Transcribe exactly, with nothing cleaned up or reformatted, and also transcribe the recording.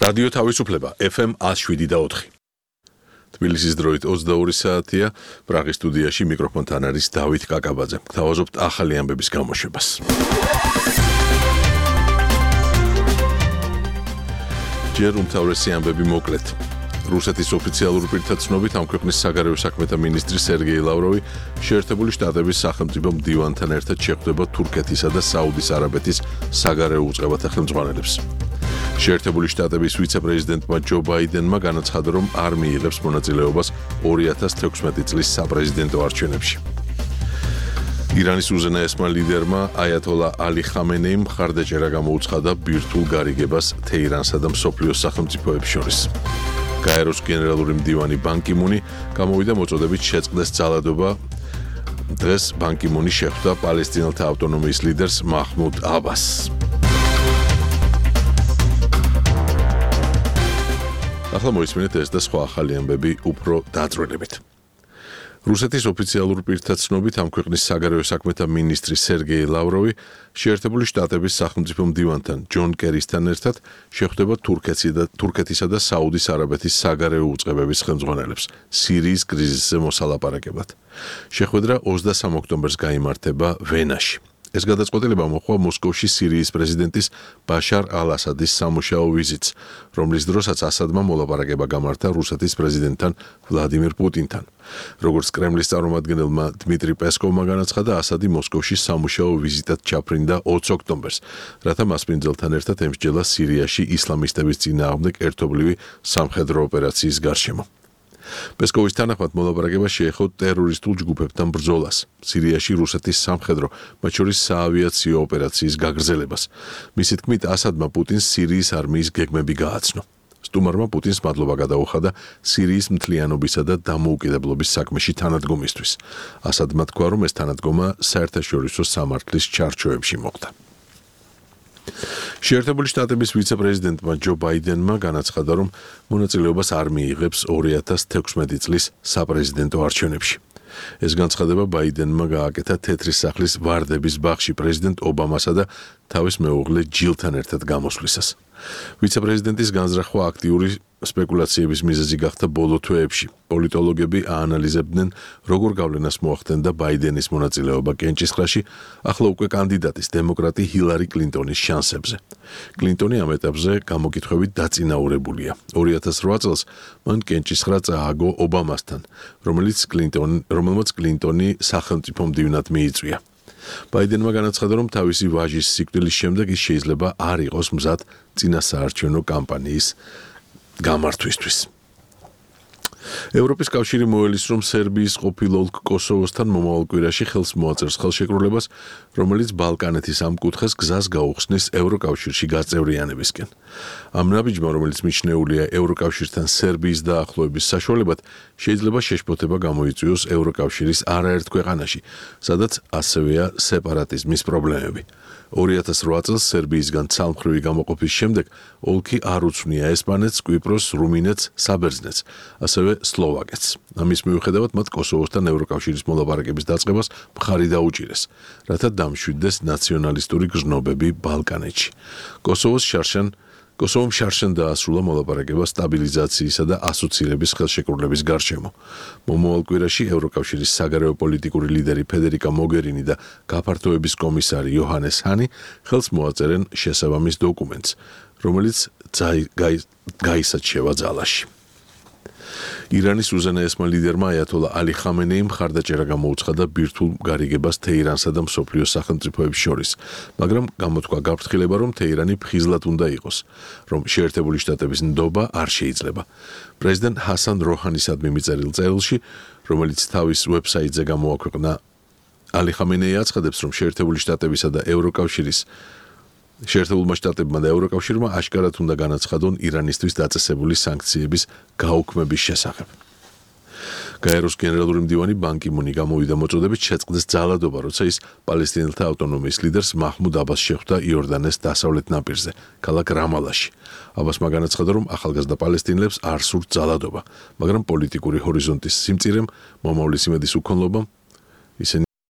რადიო თავისუფლება ეფ ემ one oh seven და four. თბილისის დროით ოცდაორი საათია, პრაღის სტუდიაში მიკროფონთან არის დავით კაკაბაძე. გთავაზობთ ახალი ამბების გამოშვებას. ჯერ უმთავრესი ამბები მოკლედ. რუსეთის ოფიციალური პირთა ცნობით ამ ქვეყნის საგარეო საქმეთა მინისტრი სერგეი ლავროვი შეერთებული შტატების სახელმწიფო მდივანთან ერთად შეხვდება თურქეთისა და საუდის არაბეთის საგარეო უწყებათა ხელმძღვანელებს. შეერთებული შტატების ვიცე-პრეზიდენტმა ჯო ბაიდენმა განაცხადა, რომ არ მიიღებს მონაწილეობას ორი ათას თექვსმეტი წლის საპრეზიდენტო არჩევნებში. ირანის უზენაესმა ლიდერმა აიათოლა ალი ხამენეიმ მხარდაჭერა გამოუცხადა ბირთვულ გარიგებას თეირანსა და მსოფლიოს სახელმწიფოებს შორის. გაეროს გენერალური მდივანი ბან კი მუნი გამოვიდა მოწოდებით შეწყდეს ძალადობა. დღეს ბან კი მუნი შეხვდა პალესტინელთა ავტონომიის ლიდერს მაჰმუდ აბასს. ახლა მოისმინეთ ეს და სხვა ახალი ამბები უფრო დაწვრილებით. რუსეთის ოფიციალურ პირთა ცნობით ამ ქვეყნის საგარეო საქმეთა მინისტრი სერგეი ლავროვი შეერთებული შტატების სახელმწიფო მდივანთან ჯონ კერისთან ერთად შეხვდება თურქეთისა და საუდის არაბეთის საგარეო უწყებების ხელმძღვანელებს სირიის კრიზისზე მოსალაპარაკებლად. შეხვედრა ოცდასამ ოქტომბერს გაიმართება ვენაში. ეს გადაწყვეტილება მოხდა მოსკოვში სირიის პრეზიდენტის ბაშარ ალ-ასადის სამუშაო ვიზიტს, რომლის დროსაც ასადმა მოლაპარაკება გამართა რუსეთის პრეზიდენტთან ვლადიმირ პუტინთან. როგორც კრემლის წარმომადგენელმა დმიტრი პესკოვმა განაცხადა, ასადი მოსკოვში სამუშაო ვიზიტად ჩაფრინდა ოცი ოქტომბერს, რათა მასპინძელთან ერთად ემსჯელა სირიაში ისლამისტების წინააღმდეგ ერთობლივი სამხედრო ოპერაციის გარშემო. პესკოვის თანახმად მოლაპარაკება შეეხო ტერორისტულ ჯგუფებთან ბრძოლას, სირიაში რუსეთის სამხედრო, მათ შორის საავიაციო ოპერაციის გაგრძელებას. მისი თქმით, ასადმა პუტინს სირიის არმიის გეგმები გააცნო. სტუმარმა პუტინს მადლობა გადაუხადა სირიის მთლიანობისა და დამოუკიდებლობის საქმეში თანადგომისთვის. ასადმა თქვა, რომ ეს თანადგომა საერთაშორისო სამართლის ჩარჩოებში მოხდა. შეერთებული შტატების ვიცე-პრეზიდენტმა ჯო ბაიდენმა განაცხადა, რომ მონაწილეობას არ მიიღებს ორი ათას თექვსმეტი წლის საპრეზიდენტო არჩევნებში. ეს განცხადება ბაიდენმა გააკეთა თეთრი სახლის ვარდების ბაღში პრეზიდენტ ობამასა და თავის მეუღლე ჯილთან ერთად გამოსვლისას. ვიცე-პრეზიდენტის განზრახვა აქტიური სპეკულაციების მიზეზი გახდა ბოლო თვეებში. პოლიტოლოგები აანალიზებდნენ, როგორ გავლენას მოახდენდა ბაიდენის მონაწილეობა კენჭისყრაში, ახლა უკვე კანდიდატის დემოკრატი ჰილარი კლინტონის შანსებზე. კლინტონი ამ ეტაპზე გამოკითხვებით დაწინაურებულია. ორი ათას რვა წელს მან კენჭისყრა წააგო ობამასთან, რომელიც კლინტონ, რომელმაც კლინტონი სახელმწიფო მდივნად მიიწვია. ბაიდენმა განაცხადა, რომ თავისი ვაჟის სიკვდილის შემდეგ ის შეიძლება არ იყოს მზად წინასაარჩევნო კამპანიის გამართვისთვის. ევროპის კავშირი მოელის, რომ სერბიის ყოფილ ოლქ კოსოვოსთან მომავალ კვირაში ხელს მოაწერს ხელშეკრულებას, რომელიც ბალკანეთის ამ კუთხეს გზას გაუხსნის ევროკავშირში გაწევრიანებისკენ. ამ ნაბიჯმა, რომელიც მიჩნეულია ევროკავშირთან სერბიის დაახლოების საშუალებად, შეიძლება შეშფოთება გამოიწვიოს ევროკავშირის არაერთ ქვეყანაში, სადაც ასევეა სეპარატიზმის პრობლემები. ორი ათას რვა წელს სერბიისგან ცალმხრივი გამოყოფის შემდეგ ოლქი არ უცვნია ესპანეთს, კვიპროსს, რუმინეთს, საბერძნეთს, ასევე სლოვაკეთს. ამის მიუხედავად მათ კოსოვოსთან ევროკავშირის მოლაპარაკების დაწყებას მხარი დაუჭირეს, რათა დამშვიდდეს ნაციონალისტური გრძნობები ბალკანეთში. კოსოვოს შარშან კოსოვომ შარშან დაასრულა მოლაპარაკება სტაბილიზაციისა და ასოცირების ხელშეკრულების გარშემო. მომავალ კვირაში ევროკავშირის საგარეო პოლიტიკური ლიდერი ფედერიკა მოგერინი და გაფართოების კომისარი იოჰანეს ჰანი ხელს მოაწერენ შესაბამის დოკუმენტს, რომელიც გაისაჩება ძალაში. ირანის უზენაესმა ლიდერმა აიათოლა ალი ხამენეიმ მხარდაჭერა გამოუცხადა ბირთვულ გარიგებას თეირანსა და მსოფლიოს სახელმწიფოებს შორის, მაგრამ გამოთქვა გაფრთხილება, რომ თეირანი ფხიზლად უნდა იყოს, რომ შეერთებული შტატების ნდობა არ შეიძლება. პრეზიდენტ ჰასან როჰანისადმი მიწერილ წერილში, რომელიც თავის ვებსაიტზე გამოაქვეყნა, ალი ხამენეი აცხადებს, რომ შეერთებული შტატებისა და ევროკავშირის შეერთებულმა შტატებმა და ევროკავშირმა აშკარად უნდა განაცხადონ ირანისთვის დაწესებული სანქციების გაუქმების შესახებ. გაეროს გენერალური მდივანი ბან კი მუნი გამოვიდა მოწოდებით შეწყდეს ძალადობა, როცა ის პალესტინელთა ავტონომიის ლიდერს მაჰმუდ აბასს შეხვდა იორდანეს დასავლეთ ნაპირზე, ქალაქ რამალაში. აბასმა განაცხადა, რომ ახალგაზრდა პალესტინელებს არ სურთ ძალადობა, მაგრამ პოლიტიკური ჰორიზონტის სიმწირემ, მომავლის იმედის უქონლობამ ისინი